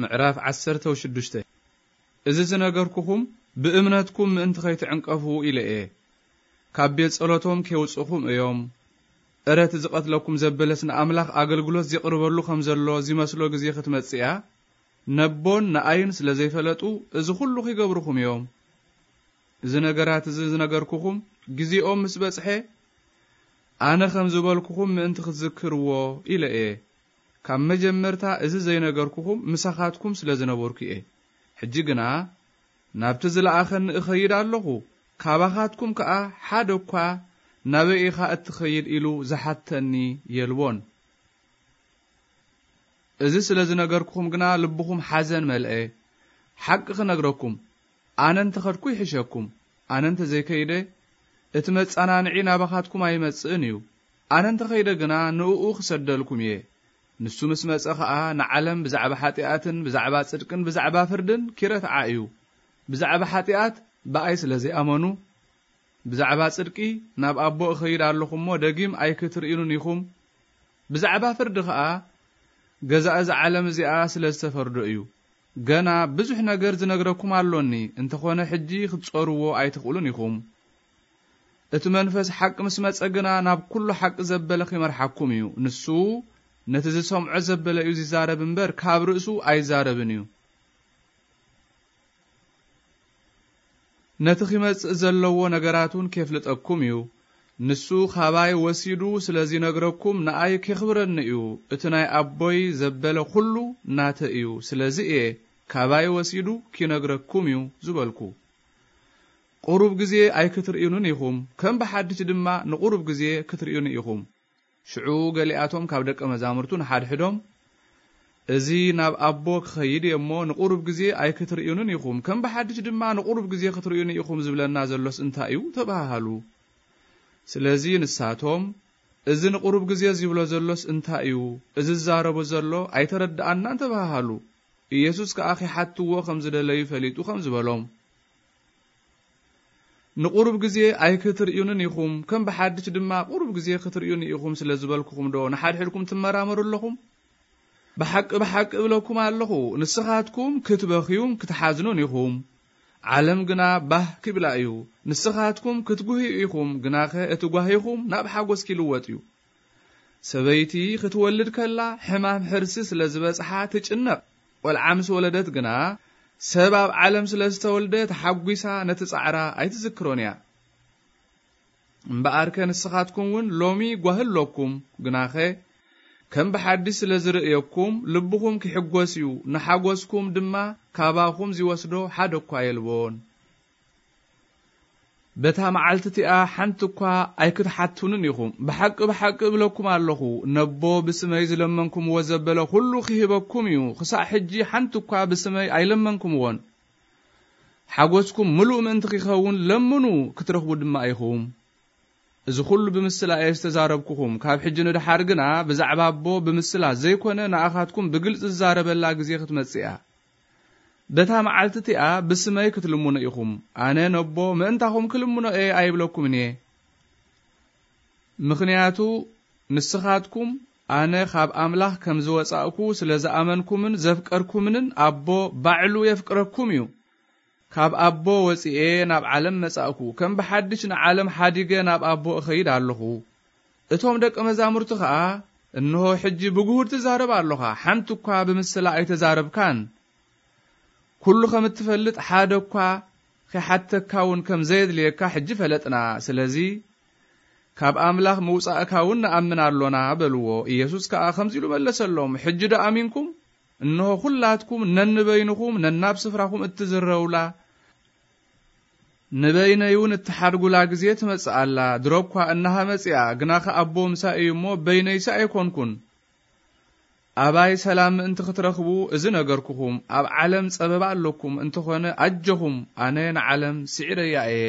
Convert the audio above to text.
ምዕራፍ ዓሰርተ ሽዱሽተ። እዚ ዝነገርኩኹም ብእምነትኩም ምእንቲ ኸይትዕንቀፉ ኢለ እየ። ካብ ቤት ጸሎቶም ኬውጽኹም እዮም። እረ እቲ ዝቐትለኩም ዘበለስ ንኣምላኽ ኣገልግሎት ዜቕርበሉ ኸም ዘሎ ዚመስሎ ግዜ ኽትመጽእ እያ። ነቦን ንኣይን ስለ ዘይፈለጡ፣ እዚ ኹሉ ኺገብሩኹም እዮም። እዚ ነገራት እዚ ዝነገርኩኹም ግዜኦም ምስ በጽሐ፣ ኣነ ኸም ዝበልኩኹም ምእንቲ ኽትዝክርዎ ኢለ እየ። ካብ መጀመርታ እዚ ዘይነገርኩኹም ምሳኻትኩም ስለ ዝነበርኩ እየ። ሕጂ ግና ናብቲ ዝለኣኸኒ እኸይድ ኣለኹ፣ ካባኻትኩም ከኣ ሓደ እኳ ናበይ ኢኻ እትኸይድ ኢሉ ዝሓተኒ የልቦን። እዚ ስለ ዝነገርኩኹም ግና ልብኹም ሓዘን መልአ። ሓቂ ክነግረኩም፣ ኣነ እንተ ኸድኩ ይሕሸኩም። ኣነ እንተ ዘይከይደ፣ እቲ መጸናንዒ ናባኻትኩም ኣይመጽእን እዩ። ኣነ እንተ ኸይደ ግና ንእኡ ክሰደልኩም እየ። ንሱ ምስ መጸ ኸኣ ንዓለም ብዛዕባ ሓጢኣትን ብዛዕባ ጽድቅን ብዛዕባ ፍርድን ኪረትዓ እዩ። ብዛዕባ ሓጢኣት ብኣይ ስለ ዘይኣመኑ፣ ብዛዕባ ጽድቂ ናብ ኣቦ እኸይድ ኣለኹ እሞ ደጊም ኣይክትርእዩንን ኢኹም። ብዛዕባ ፍርዲ ኸኣ ገዛ እዛ ዓለም እዚኣ ስለ ዝተፈርዶ እዩ። ገና ብዙሕ ነገር ዝነግረኩም ኣሎኒ፣ እንተኾነ ሕጂ ክትጾርዎ ኣይትኽእሉን ኢኹም። እቲ መንፈስ ሓቂ ምስ መጸ ግና ናብ ኩሉ ሓቂ ዘበለ ኺመርሓኩም እዩ። ንሱ ነቲ ዝሰምዖ ዘበለ እዩ ዚዛረብ እምበር፣ ካብ ርእሱ ኣይዛረብን እዩ። ነቲ ኺመጽእ ዘለዎ ነገራት እውን ኬፍልጠኩም እዩ። ንሱ ኻባይ ወሲዱ ስለ ዚነግረኩም ንኣይ ኬኽብረኒ እዩ። እቲ ናይ ኣቦይ ዘበለ ኹሉ ናተይ እዩ። ስለዚ እየ ካባይ ወሲዱ ኪነግረኩም እዩ ዝበልኩ። ቁሩብ ግዜ ኣይክትርእዩንን ኢኹም፣ ከም ብሓድሽ ድማ ንቁሩብ ግዜ ክትርእዩኒ ኢኹም። ሽዑ ገሊኣቶም ካብ ደቀ መዛሙርቱ ንሓድሕዶም፣ "እዚ ናብ ኣቦ ክኸይድ እየ እሞ ንቁሩብ ግዜ ኣይክትርእዩንን ኢኹም፣ ከም ብሓድሽ ድማ ንቁሩብ ግዜ ክትርእዩኒ ኢኹም ዝብለና ዘሎስ እንታይ እዩ?" ተባሃሃሉ። ስለዚ ንሳቶም፣ "እዚ ንቁሩብ ግዜ ዝብሎ ዘሎስ እንታይ እዩ? እዚ ዝዛረቦ ዘሎ ኣይተረድኣናን" ተባሃሃሉ። ኢየሱስ ከኣ ኺሓትዎ ከም ዝደለዩ ፈሊጡ ከም ዝበሎም፣ "ንቁሩብ ግዜ ኣይክትርእዩንን ኢኹም፣ ከም ብሓድሽ ድማ ቁሩብ ግዜ ክትርእዩኒ ኢኹም ስለ ዝበልኩኹም ዶ ንሓድሕድኩም ትመራመሩ ኣለኹም? ብሓቂ፣ ብሓቂ እብለኩም ኣለኹ፣ ንስኻትኩም ክትበኽዩን ክትሓዝኑን ኢኹም። ዓለም ግና ባህ ኪብላ እዩ። ንስኻትኩም ክትጉህዩ ኢኹም፣ ግናኸ እቲ ጓሂኹም ናብ ሓጎስ ኪልወጥ እዩ። ሰበይቲ ክትወልድ ከላ ሕማም ሕርሲ ስለ ዝበጽሓ ትጭነቕ። ቆልዓ ምስ ወለደት ግና፣ ሰብ ኣብ ዓለም ስለ ዝተወልደ ተሓጒሳ ነቲ ጻዕራ ኣይትዝክሮን እያ። እምበኣርከ ንስኻትኩም እውን ሎሚ ጓሂ ኣሎኩም፣ ግናኸ ከም ብሓድሽ ስለ ዝርእየኩም ልብኹም ኪሕጐስ እዩ፣ ንሓጐስኩም ድማ ካባኹም ዚወስዶ ሓደ እኳ የልቦን። በታ መዓልቲ እቲኣ ሓንቲ እኳ ኣይክትሓቱንን ኢኹም። ብሓቂ፣ ብሓቂ እብለኩም ኣለኹ፣ ነቦ ብስመይ ዝለመንኩምዎ ዘበለ ኹሉ ኺህበኩም እዩ። ኽሳዕ ሕጂ ሓንቲ እኳ ብስመይ ኣይለመንኩምዎን። ሓጎስኩም ምሉእ ምእንቲ ኺኸውን ለምኑ፣ ክትረኽቡ ድማ ኢኹም። እዚ ኹሉ ብምስላ እየ ዝተዛረብኩኹም። ካብ ሕጂ ንደሓር ግና ብዛዕባ ኣቦ ብምስላ ዘይኮነ፣ ንኣኻትኩም ብግልጺ ዝዛረበላ ግዜ ክትመጽእ እያ። በታ መዓልቲ እቲኣ ብስመይ ክትልምኑ ኢኹም። ኣነ ነቦ ምእንታኹም ክልምኖ እየ ኣይብለኩምን እየ። ምኽንያቱ ንስኻትኩም ኣነ ካብ ኣምላኽ ከም ዝወጻእኩ ስለ ዝኣመንኩምን ዘፍቀርኩምንን፣ ኣቦ ባዕሉ የፍቅረኩም እዩ። ካብ ኣቦ ወጺኤ ናብ ዓለም መጻእኩ። ከም ብሓድሽ ንዓለም ሓዲገ ናብ ኣቦ እኸይድ ኣለኹ። እቶም ደቀ መዛሙርቲ ኸኣ፣ "እንሆ ሕጂ ብግሁድ ትዛረብ ኣሎኻ፣ ሓንቲ እኳ ብምስላ ኣይተዛረብካን። ኩሉ ከም እትፈልጥ ሓደ እኳ ኺሓተካ እውን ከም ዘየድልየካ ሕጂ ፈለጥና። ስለዚ ካብ ኣምላኽ ምውጻእካ እውን ንኣምን ኣሎና" በልዎ። ኢየሱስ ከኣ ከምዚ ኢሉ መለሰሎም፣ "ሕጂ ዶ ኣሚንኩም? እንሆ ኹላትኩም ነንበይንኹም ነናብ ስፍራኹም እትዝረውላ ንበይነይ እውን እትሓድጉላ ግዜ ትመጽእ ኣላ። ድሮ እኳ እንሃ መጺኣ፣ ግናኸ ኣቦ ምሳይ እዩ እሞ በይነይሲ ኣይኮንኩን። ኣባይ ሰላም ምእንቲ ክትረኽቡ እዚ ነገርኩኹም። ኣብ ዓለም ጸበባ ኣለኩም፣ እንተኾነ ኣጆኹም፣ ኣነ ንዓለም ስዒረያ እየ"